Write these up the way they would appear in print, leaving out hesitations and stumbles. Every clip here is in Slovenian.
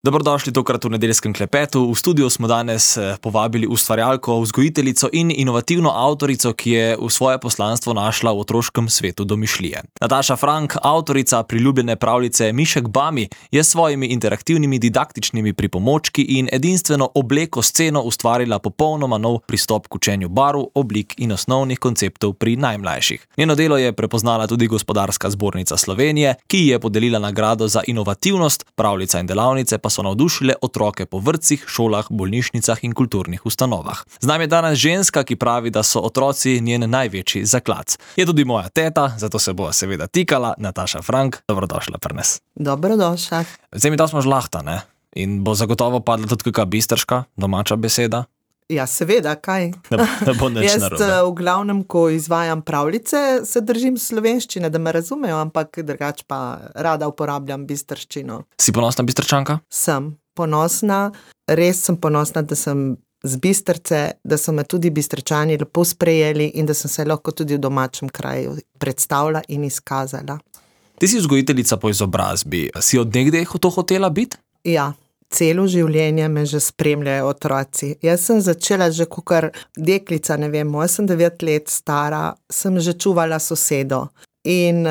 Dobrodošli tokrat v nedeljskem klepetu. V studiu smo danes povabili ustvarjalko, vzgojiteljico in inovativno avtorico, ki je v svoje poslanstvo našla v otroškem svetu domišljije. Nataša Frank, avtorica priljubljene pravljice Mišek Bami, je s svojimi interaktivnimi didaktičnimi pripomočki in edinstveno obleko sceno ustvarila popolnoma nov pristop k učenju barv, oblik in osnovnih konceptov pri najmlajših. Njeno delo je prepoznala tudi Gospodarska zbornica Slovenije, ki ji je podelila nagrado za inovativnost, pravljica in delavnice pa so navdušile otroke po vrtcih, šolah, bolnišnicah in kulturnih ustanovah. Z nami je danes ženska, ki pravi, da so otroci njen največji zaklac. Je tudi moja teta, zato se bo seveda tikala. Nataša Frank, dobrodošla pri nas. Dobrodošla. Zdaj mi da smo žlahta, ne? In bo zagotovo padla tudi kakšna bistrška, domača beseda? Ja, seveda, kaj? Ne bo nič narobe. Jaz v glavnem, ko izvajam pravljice, se držim slovenščine, da me razumejo, ampak drugače pa rada uporabljam bistrščino. Si ponosna Bistrčanka? Sem ponosna, res sem ponosna, da sem z Bistrce, da so me tudi Bistrčani lepo sprejeli in da sem se lahko tudi v domačem kraju predstavila in izkazala. Ti si vzgojiteljica po izobrazbi. Si od nekdaj to hotela biti? Ja. Celo življenje me že spremljajo otroci. Jaz sem začela že kakor deklica, ne vem, sem 9 let stara, sem že čuvala sosedo. In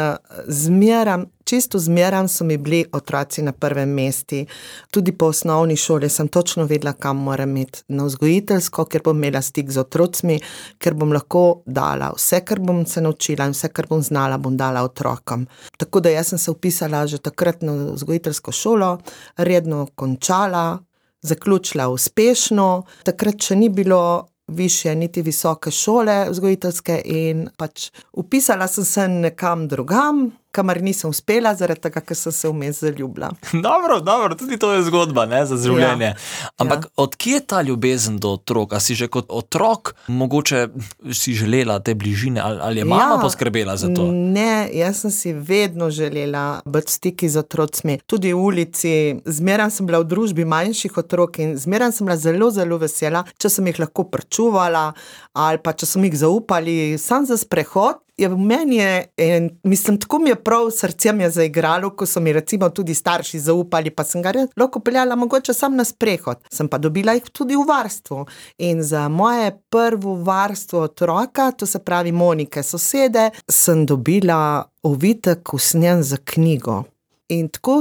čisto zmeram so mi bili otroci na prvem mestu. Tudi po osnovni šoli sem točno vedela, kam moram iti na vzgojiteljsko, ker bom imela stik z otrocmi, ker bom lahko dala vse, kar bom se naučila in vse, kar bom znala, bom dala otrokom. Tako da jaz sem se vpisala že takrat na vzgojiteljsko šolo, redno končala, zaključila uspešno. Takrat še ni bilo višje, niti visoke šole vzgojiteljske in pač vpisala sem se nekam drugam, kamor nisem uspela, zaradi tega, ker sem se vmes zaljubila. Dobro, tudi to je zgodba, ne, za življenje. Ampak od kje je ta ljubezen do otrok? A si že kot otrok mogoče si želela te bližine ali je mama poskrbela za to? Ne, jaz sem si vedno želela biti v stiki z otrocmi. Tudi v ulici, zmeraj sem bila v družbi manjših otrok in zmeraj sem bila zelo, zelo vesela, če sem jih lahko pričuvala ali pa če sem jih zaupali sam za sprehod. V meni je, mislim, tako mi je prav, srce mi je zaigralo, ko so mi recimo tudi starši zaupali, pa sem ga lahko peljala mogoče sam na sprehod. Sem pa dobila jih tudi v varstvo. In za moje prvo varstvo otroka, to se pravi Monike, sosede, sem dobila ovitek usnjen za knjigo. In tako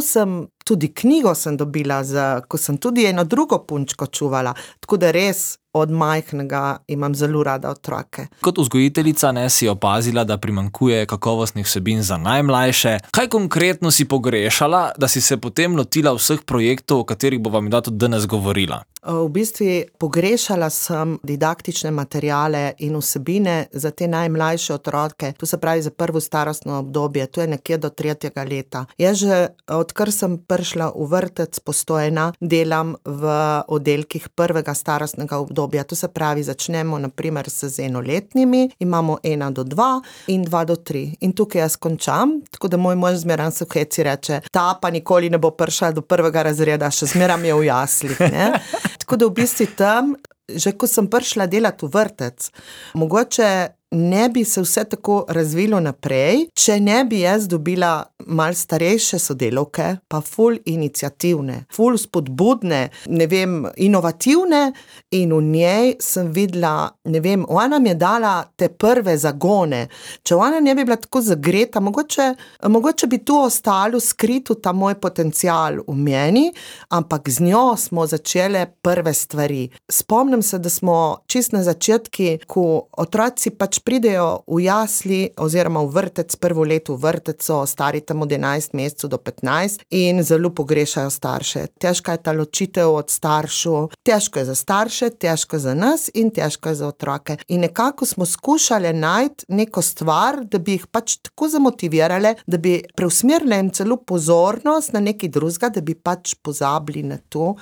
tudi knjigo sem dobila, ko sem tudi eno drugo punčko čuvala. Tako da res od majhnega imam zelo rada otroke. Kot vzgojiteljica si opazila, da primanjkuje kakovostnih vsebin za najmlajše. Kaj konkretno si pogrešala, da si se potem lotila vseh projektov, o katerih bova mi tudi danes govorila? V bistvu pogrešala sem didaktične materiale in vsebine za te najmlajše otroke, to se pravi za prvo starostno obdobje, to je nekje do 3. leta. Jaz že, odkar sem prišla v vrtec Postojna, delam v oddelkih prvega starostnega obdobja, to se pravi začnemo naprimer z enoletnimi, imamo 1 do 2 in 2 do 3. In tukaj jaz končam, tako da moj mož zmeraj se v heci reče, ta pa nikoli ne bo prišla do 1. razreda, še zmeraj je v jaslih, ne? Tako da v bistvu tam, že ko sem prišla delati v vrtec, mogoče ne bi se vse tako razvilo naprej, če ne bi jaz dobila malo starejše sodelavke, pa ful iniciativne, ful spodbudne, ne vem, inovativne, in v njej sem videla, ne vem, ona mi je dala te prve zagone. Če ona ne bi bila tako zagreta, mogoče bi tu ostalo skrito ta moj potencial v meni, ampak z njo smo začele prve stvari. Spomnim se, da smo čisto na začetki, ko otroci pač pridejo v jasli oziroma v vrtec, prvo leto v vrteco, stari tam od 11 mesecev do 15 in zelo pogrešajo starše. Težka je ta ločitev od staršev, težko je za starše, težko je za nas in težko je za otroke. In nekako smo skušali najti neko stvar, da bi jih pač tako zamotivirali, da bi preusmerili jim celo pozornost na nekaj drugega, da bi pač pozabili na to.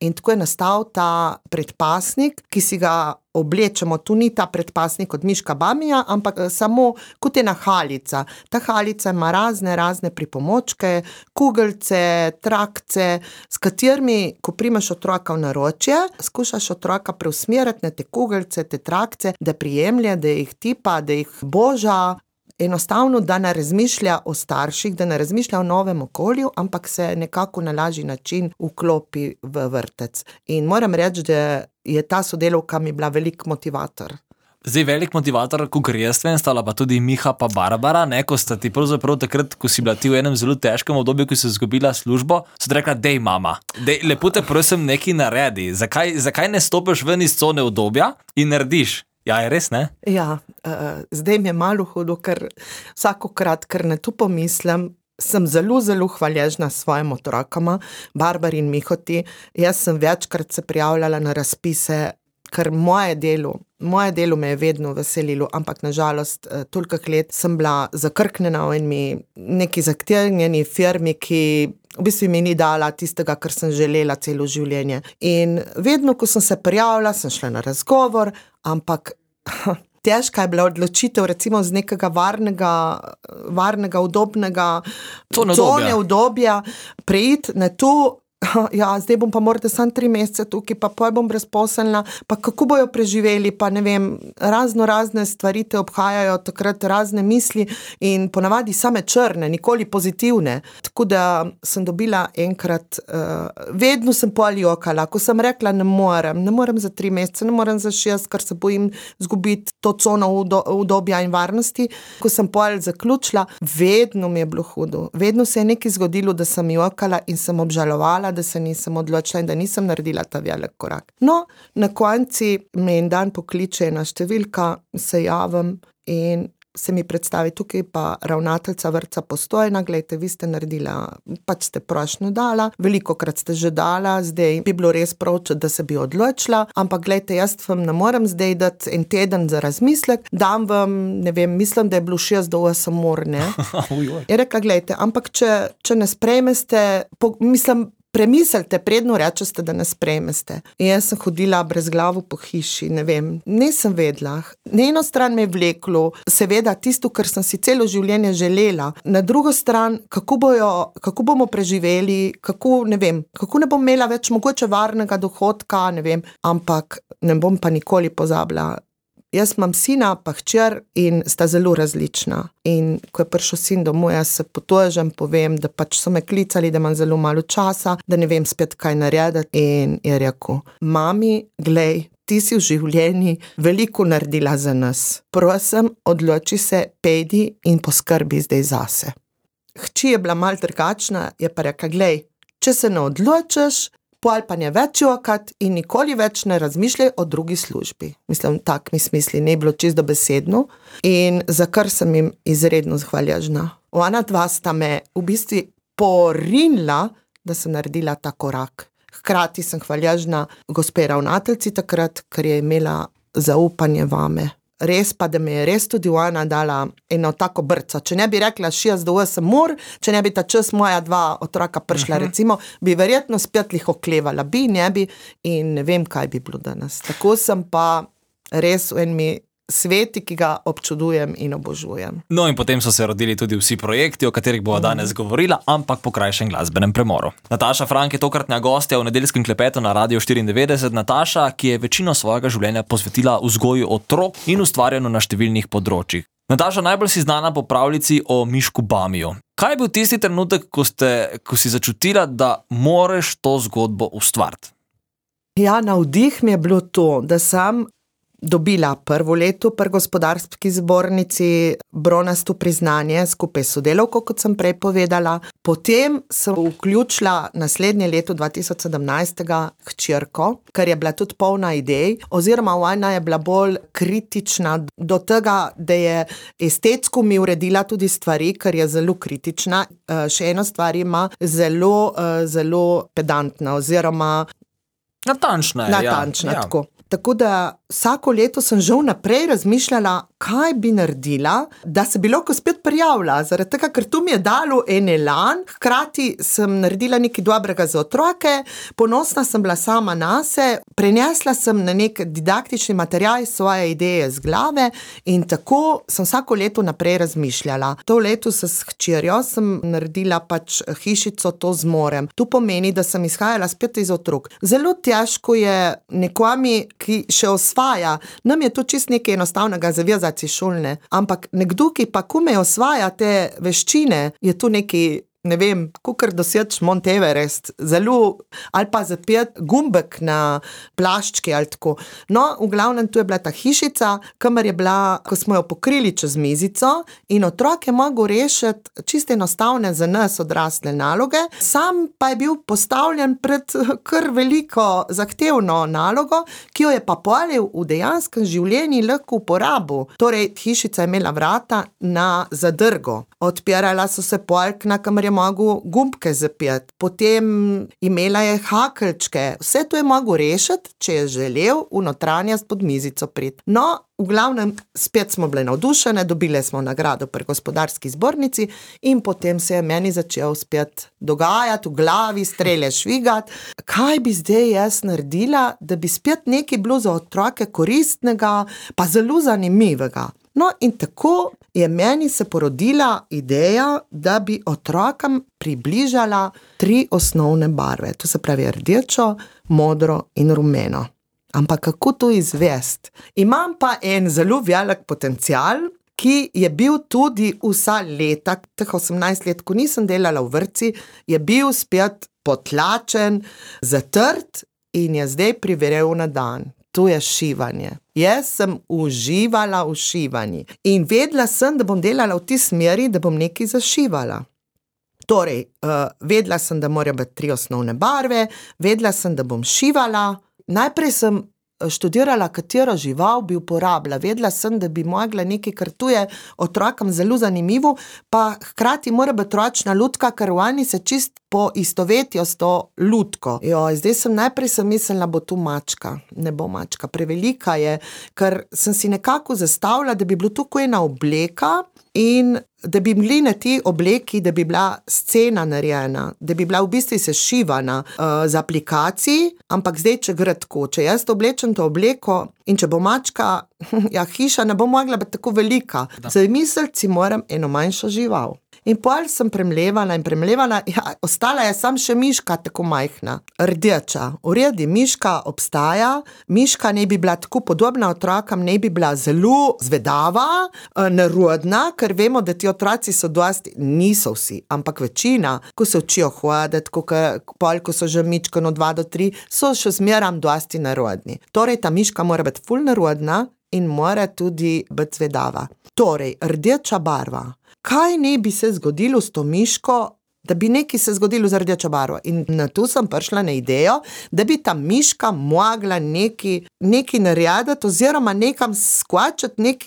In tako je nastal ta predpasnik, ki si ga oblečemo. Tu ni ta predpasnik od Miška Bamija, ampak samo kot ena halica. Ta halica ima razne pripomočke, kugelce, trakce, s katerimi, ko primeš otroka v naročje, skušaš otroka preusmeriti na te kugelce, te trakce, da prijemlje, da jih tipa, da jih boža. enostavno, da ne razmišlja o starših, da ne razmišlja o novem okolju, ampak se nekako na lažji način vklopi v vrtec. In moram reči, da je ta sodelavka mi bila velik motivator. Zdaj, velik motivator, ko grejstven, stala pa tudi Miha pa Barbara, ne, ko sta ti pravzaprav takrat, ko si bila ti v enem zelo težkem obdobju, ko si izgubila službo, so ti rekla, dej mama, lepo te prosim nekaj naredi, zakaj ne stopiš ven iz cone udobja in narediš? Ja, je res, ne? Ja, zdaj mi je malo hudo, ker vsakokrat, ker ne tu pomislim, sem zelo, zelo hvaležna svojim otrokama, Barbari in Mihoti. Jaz sem večkrat se prijavljala na razpise, ker moje delo me je vedno veselilo, ampak nažalost toliko let sem bila zakrknjena v neki zahtevni firmi, ki v bistvu mi ni dala tistega, kar sem želela celo življenje. In vedno, ko sem se prijavila, sem šla na razgovor, ampak težka je bila odločitev recimo z nekega varnega, udobnega cone udobja, preiti na to. Ja, zdaj bom pa morda samo 3 mesece tukaj, pa poj bom brezposelna, pa kako bojo preživeli, pa ne vem, razne stvari te obhajajo, takrat razne misli in ponavadi same črne, nikoli pozitivne. Tako da sem dobila enkrat, vedno sem pol jokala, ko sem rekla, ne morem za 3 mesece, ne morem za 6, ker se bojim zgubiti to cono udobja in varnosti. Ko sem pol zaključila, vedno mi je bilo hudo, vedno se je nekaj zgodilo, da sem jokala in sem obžalovala, da se nisem odločila in da nisem naredila ta velik korak. No, na konci me en dan pokliče ena številka, se javim in se mi predstavi tukaj pa ravnateljica vrtca Postojna, glejte, vi ste naredila, pač ste prošnjo dala, velikokrat ste že dala, zdaj bi bilo res prav, da se bi odločila, ampak glejte, jaz vam ne morem zdaj dati en teden za razmislek, dam vam, ne vem, mislim, da je bilo 6 do 8 ur, ne? Je rekla, glejte, ampak če ne sprejmeste, premislite, predno rečete, da ne sprejmeste. In jaz sem hodila brezglavo po hiši, ne vem, nisem vedela. Na eno stran me je vleklo, seveda tisto, kar sem si celo življenje želela. Na drugo stran, kako bomo preživeli, kako ne bom imela več mogoče varnega dohodka, ne vem, ampak ne bom pa nikoli pozabila. Jaz imam sina pa hčer in sta zelo različna. In ko je prišel sin domov, jaz se potožim, povem, da pač so me klicali, da imam zelo malo časa, da ne vem spet kaj narediti. In je rekel, mami, glej, ti si v življenju veliko naredila za nas. Prosim, odloči se, pejdi in poskrbi zdaj zase. Hči je bila malo drugačna, je pa rekla, glej, če se ne odločiš, pol pa ne več jokat in nikoli več ne razmišljaj o drugi službi. Mislim, tak mi smisli, ne bilo čisto besedno in za kar sem jim izredno hvaležna. Ona dva sta me v bistvu porinila, da sem naredila ta korak. Hkrati sem hvaležna gospe ravnateljici takrat, ker je imela zaupanje vame. Res pa, da me je res tudi ona dala eno tako brco. Če ne bi rekla 6 do 8 ur, če ne bi ta čas moja 2 otroka prišla, recimo, bi verjetno spet oklevala, ne bi in ne vem, kaj bi bilo danes. Tako sem pa res v enmi sveti, ki ga občudujem in obožujem. No in potem so se rodili tudi vsi projekti, o katerih bomo danes govorila, ampak po krajšem glasbenem premoru. Nataša Frank je tokratna gostja v nedeljskem klepetu na Radiu 94. Nataša, ki je večino svojega življenja posvetila vzgoju otrok in ustvarjanju na številnih področjih. Nataša, najbolj si znana po pravljici o Mišku Bamiju. Kaj je bil tisti trenutek, ko si začutila, da moreš to zgodbo ustvariti? Ja, navdih mi je bilo to, da sem dobila prvo leto pri gospodarski zbornici bronasto priznanje skupaj s sodelavko, kot sem prej povedala. Potem sem vključila naslednje leto 2017 hčerko, ker je bila tudi polna idej, oziroma ona je bila bolj kritična do tega, da je estetsko mi uredila tudi stvari, ker je zelo kritična. Še eno stvar ima zelo pedantna oziroma natančna, tako. Tako da vsako leto sem že vnaprej razmišljala, kaj bi naredila, da se bi lahko spet prijavila, zaradi tega, ker to mi je dalo en elan, hkrati sem naredila nekaj dobrega za otroke, ponosna sem bila sama nase, prenesla sem na nek didaktični material svoje ideje z glave in tako sem vsako leto naprej razmišljala. To leto s hčerjo sem naredila pač hišico To zmorem. To pomeni, da sem izhajala spet iz otrok. Zelo težko je nekomi, ki še osvaja, nam je to čisto nekaj enostavnega zavezati aplikacije šolne, ampak nekdo, ki pa kome osvaja te veščine, je tu neki, ne vem, kakor doseč Mount Everest, zelo, ali pa zapet gumbek na plaščki ali tako. No, v glavnem tu je bila ta hišica, kamor je bila, ko smo jo pokrili čez mizico in otrok je mogel rešiti čisto enostavne za nas odrasle naloge, sam pa je bil postavljen pred kar veliko zahtevno nalogo, ki jo je pa polil v dejanskem življenju lahko uporabil. Torej, hišica je imela vrata na zadrgo. Odpirala so se polkna, kamor je mogel gumbke zapeti. Potem imela je hakeljčke. Vse to je mogel rešiti, če je želel v notranjost pod mizico priti. No, v glavnem, spet smo bile navdušene, dobile smo nagrado pri gospodarski zbornici in potem se je meni začel spet dogajati, v glavi strele švigati. Kaj bi zdaj jaz naredila, da bi spet nekaj bilo za otroke koristnega, pa zelo zanimivega? No, in tako je meni se porodila ideja, da bi otrokom približala 3 osnovne barve. To se pravi rdečo, modro in rumeno. Ampak kako to izvesti? Imam pa en zelo velik potencial, ki je bil tudi vsa leta, teh 18 let, ko nisem delala v vrtci, je bil spet potlačen, zatrt in je zdaj privrel na dan. To je šivanje. Jaz sem uživala v šivanju in vedela sem, da bom delala v tej smeri, da bom nekaj zašivala. Torej, vedela sem, da morajo biti 3 osnovne barve, vedela sem, da bom šivala. Najprej sem študirala, katero žival bi uporabila. Vedela sem, da bi mogla nekaj, kar tu je otrokom zelo zanimivo, pa hkrati mora biti ročna lutka, ker oni se čist poistovetijo s to lutko. Zdaj sem mislila, bo tu mačka. Ne bo mačka, prevelika je, ker sem si nekako zastavila, da bi bilo tukaj ena obleka in da bi bili na ti obleki, da bi bila scena narejena, da bi bila v bistvu sešivana z aplikacij, ampak zdaj, če gre tako, če jaz oblečem to obleko in če bo mačka, hiša ne bo mogla biti tako velika. Zamisliti si moram eno manjšo žival. In pol sem premlevala, ostala je samo še miška tako majhna, rdeča. V redu, miška obstaja, miška ne bi bila tako podobna otrokom, ne bi bila zelo zvedava, nerodna, ker vemo, da ti otroci so dosti, niso vsi, ampak večina, ko se učijo hoditi, ko so že mičkano 2 do 3, so še zmeram dosti nerodni. Torej, ta miška mora biti ful nerodna in mora tudi biti zvedava. Torej, rdeča barva. Kaj ne bi se zgodilo s to miško, da bi nekaj se zgodilo z rdečo barvo? In na to sem prišla na idejo, da bi ta miška mogla nekaj narediti oziroma nekam skočiti,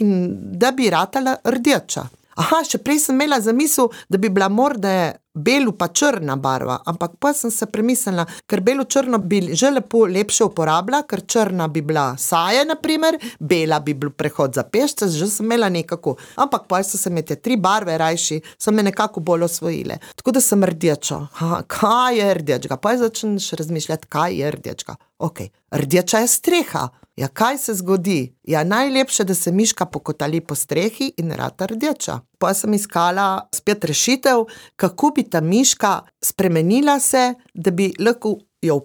da bi ratala rdeča. Še prej sem imela zamisel, da bi bila morda belu pa črna barva, ampak pa sem se premislila, ker belo-črno bi že lepše uporabila, ker črna bi bila saje, na primer, bela bi bil prehod za pešce, že sem imela nekako, ampak pa so se me te 3 barve rajši, so me nekako bolj osvojile. Tako da sem rdeča. Kaj je rdečka? Pa začneš razmišljati, kaj je rdečka. Rdeča je streha. Kaj se zgodi? Najlepše, da se miška pokotali po strehi in rata rdeča. Pa sem iskala spet rešitev, kako bi ta miška spremenila se, da bi lahko jo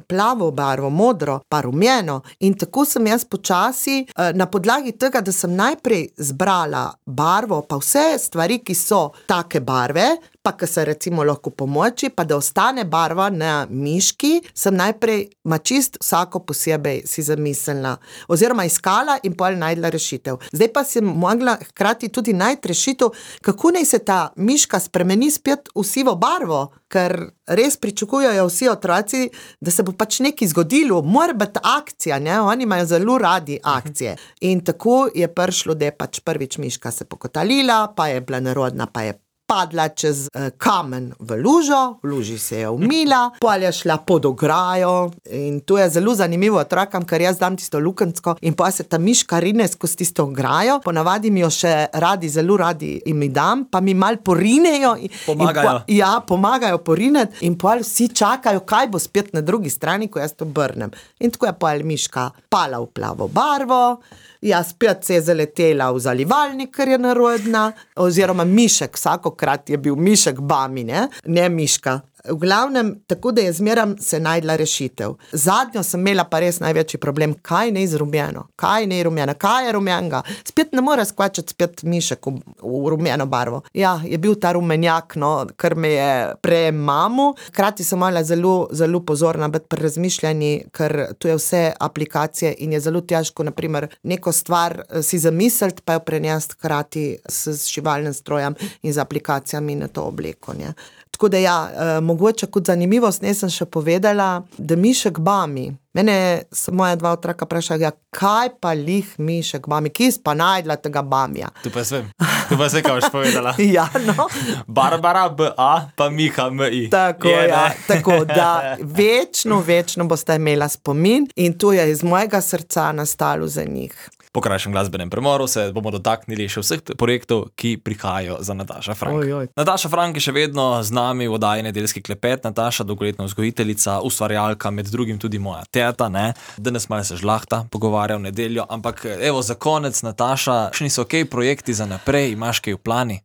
plavo barvo, modro, pa rumeno. In tako sem jaz počasi, na podlagi tega, da sem najprej zbrala barvo, pa vse stvari, ki so take barve, pa ki se recimo lahko pomoči, pa da ostane barva na miški, sem najprej čist vsako posebej si zamislila. Oziroma iskala in pol najdla rešitev. Zdaj pa sem mogla hkrati tudi najti rešitev, kako naj se ta miška spremeni spet v sivo barvo, ker res pričakujejo vsi otroci, da se bo nekaj zgodilo, mora biti akcija, oni imajo zelo radi akcije. In tako je prišlo, da je prvič miška se pokotalila, pa je bila nerodna, pa je padla čez kamen v luži se je umila, pol je šla pod ograjo in to je zelo zanimivo otrokom, ker jaz dam tisto lukensko in pa se ta miška rine skozi tisto ograjo, ponavadi mi jo še zelo radi in mi dam, pa mi mal porinejo. Pomagajo. Pomagajo porineti in pol vsi čakajo, kaj bo spet na drugi strani, ko jaz to obrnem. In tako je pol miška pala v plavo barvo, spet se je zaletela v zalivalnik, ker je nerodna, oziroma mišek, vsakokrat je bil mišek Bami, ne miška. V glavnem, tako da je zmeram se najdla rešitev. Zadnjo sem imela pa res največji problem, kaj ne izrumljeno, kaj ne rumljeno, kaj je rumljenega. Spet ne more skvačati spet mišek v rumljeno barvo. Ja, je bil ta rumenjak, no, kar me je premamu. Hkrati sem morala zelo, zelo pozorna biti pri razmišljanju, ker tu je vse aplikacije in je zelo težko, na primer, neko stvar si zamisliti, pa jo prenesti hkrati s šivalnim strojem in z aplikacijami na to obleko, ne. Tako da ja, mogoče kot zanimivost nisem še povedala, da mišek Bami. Mene so moja dva otroka vprašali, ja, kaj pa lih mišek Bami, kje si pa najdla tega Bamija? Tu pa svem, kaj boš povedala. Ja, no. Barbara B.A. pa Miha M.I. Tako, ja, tako da večno boste imela spomin in to je iz mojega srca nastalo za njih. Po krajšem glasbenem premoru se bomo dotaknili še vseh projektov, ki prihajajo za Nataša Frank. Nataša Frank je še vedno z nami v oddaji Nedeljski klepet. Nataša, dolgoletna vzgojiteljica, ustvarjalka, med drugim tudi moja teta, ne. Danes malo se žlahta pogovarja v nedeljo, ampak evo, za konec, Nataša, še niso okej projekti za naprej, imaš kaj v plani?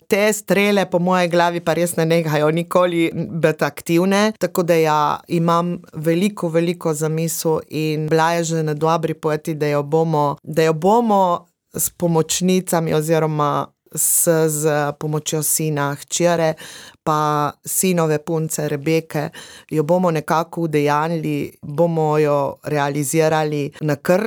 Te strele po moje glavi pa res ne nehajo nikoli biti aktivne, tako da ja, imam veliko zamisel in bila je že na dobri poti, da jo bomo s pomočnicami oziroma s pomočjo sina hčere pa sinove punce Rebeke, jo bomo nekako udejanili, bomo jo realizirali, na kar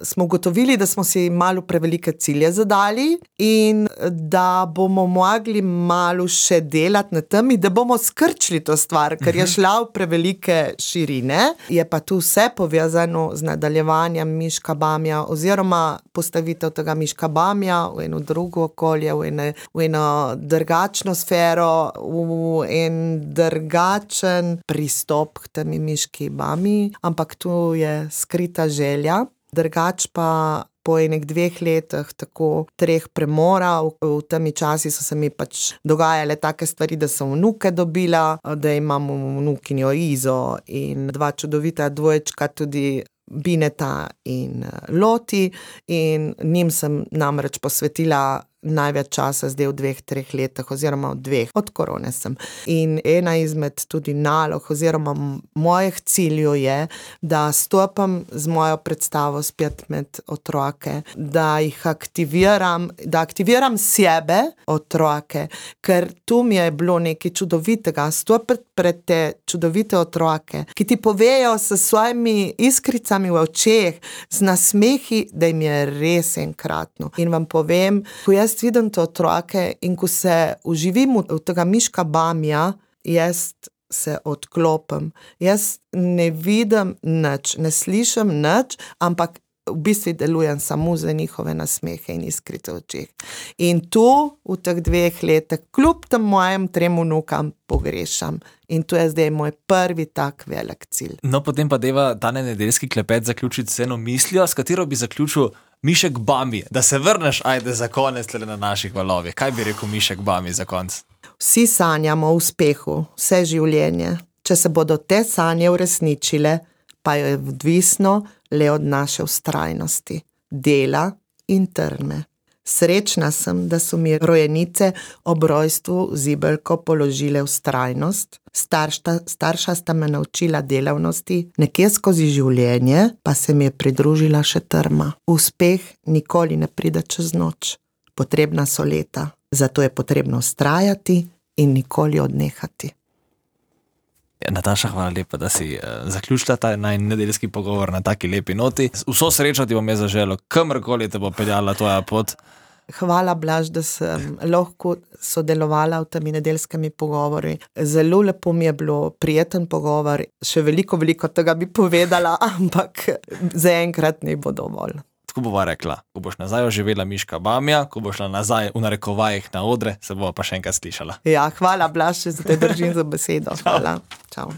smo ugotovili, da smo si malo prevelike cilje zadali in da bomo mogli malo še delati na tem, da bomo skrčili to stvar, ker je šla v prevelike širine. Je pa tu vse povezano z nadaljevanjem Miška Bamija oziroma postavitev tega Miška Bamija v eno drugo okolje, v eno drugačno sfero, v en drugačen pristop k temi Miški Bamiji, ampak tu je skrita želja. Drugač pa po enih 2 letih, tako 3 premora, v temi časi so se mi pač dogajale take stvari, da sem vnuke dobila, da imam vnukinjo Izo in 2 čudovita dvojčka, tudi Bineta in Loti, in njim sem namreč posvetila največ časa zdaj v 2-3 letih oziroma v 2, od korone sem. In ena izmed tudi nalog oziroma mojih ciljev je, da stopam z mojo predstavo spet med otroke, da jih aktiviram sebe, otroke, ker tu mi je bilo nekaj čudovitega, stopiti pred te čudovite otroke, ki ti povejo s svojimi iskricami v očeh, z nasmehi, da jim je res enkratno. In vam povem, ko jaz vidim te otroke in ko se uživim v tega Miška Bamija, jaz se odklopim. Jaz ne vidim nič, ne slišim nič, ampak v bistvu delujem samo za njihove nasmehe in iskrice v očeh. In tu v teh 2 letih, kljub tem mojim 3 vnukam, pogrešam. In to je zdaj moj prvi tak velik cilj. No, potem pa deva tane nedeljski klepet zaključiti s eno mislijo, s katero bi zaključil Mišek Bami, da se vrneš, ajde, za konec na naših valovih. Kaj bi rekel Mišek Bami za konec? Vsi sanjamo o uspehu, vse življenje. Če se bodo te sanje uresničile, pa je odvisno le od naše vztrajnosti, dela in trme. Srečna sem, da so mi rojenice ob rojstvu zibelko položile vztrajnost. Starša sta me naučila delavnosti, nekje skozi življenje pa se mi je pridružila še trma. Uspeh nikoli ne pride čez noč. Potrebna so leta, zato je potrebno vztrajati in nikoli odnehati. Nataša, hvala lepa, da si zaključila ta nedeljski pogovor na taki lepi noti. Vso srečo ti bom jaz zaželel, kamorkoli te bo peljala tvoja pot. Hvala, Blaž, da sem lahko sodelovala v temi nedeljskimi pogovori. Zelo lepo mi je bilo, prijeten pogovor. Še veliko tega bi povedala, ampak zaenkrat ne bo dovolj. Tako bova rekla, ko boš nazaj oživela Miška Bamija, ko boš šla nazaj v narekovajih na odre, se bova pa še enkrat slišala. Ja, hvala, Blaž, da te držim za besedo. Hvala. Čau.